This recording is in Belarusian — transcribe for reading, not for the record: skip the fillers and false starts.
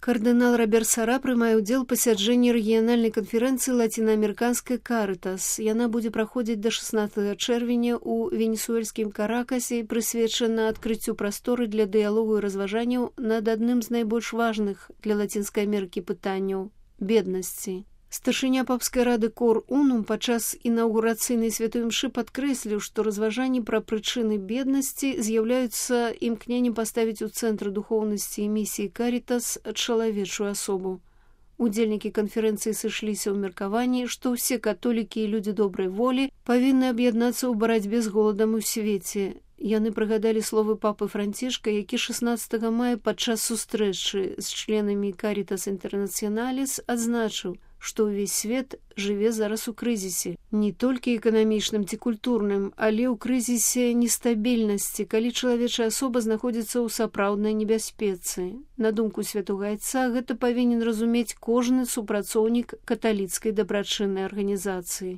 Кардынал Роберт Сара прымае ўдзел у пасяджэнні рэгіянальнай канферэнцыі лацінаамерыканскай «Карытас». Яна будзе праходзіць да 16 чэрвеня ў венесуэльскім Каракасе і прысвечана адкрыццю прасторы для дыялогу і разважанняў над адным з найбольш важных для Лацінскай Амерыкі пытанняў – беднасці. Старшыня папскай рады Кор Унум падчас інаўгурацыйнай святой імшы падкрэсліў, што разважанні пра прычыны беднасці з'яўляюцца імкненнем паставіць у цэнтр духоўнасці і місіі «Карітас» чалавечую асобу. Удзельнікі канферэнцыі сышліся ў меркаванні, што ўсе католікі і людзі добрай волі павінны аб'яднацца ў барацьбе з голадам у свеце. Яны прыгадалі словы папы Францішка, які 16 мая падчас сустрэчы з членамі «Карітас Інтэрнацыяналіс» адзначыў, што ўвесь свет жыве зараз у крызісе. Не толькі эканамічным ці культурным, але ў крызісе нестабільнасці, калі чалавечая асоба знаходзіцца ў сапраўднай небяспецы. На думку святога айца, гэта павінен разумець кожны супрацоўнік каталіцкай дабрачыннай арганізацыі.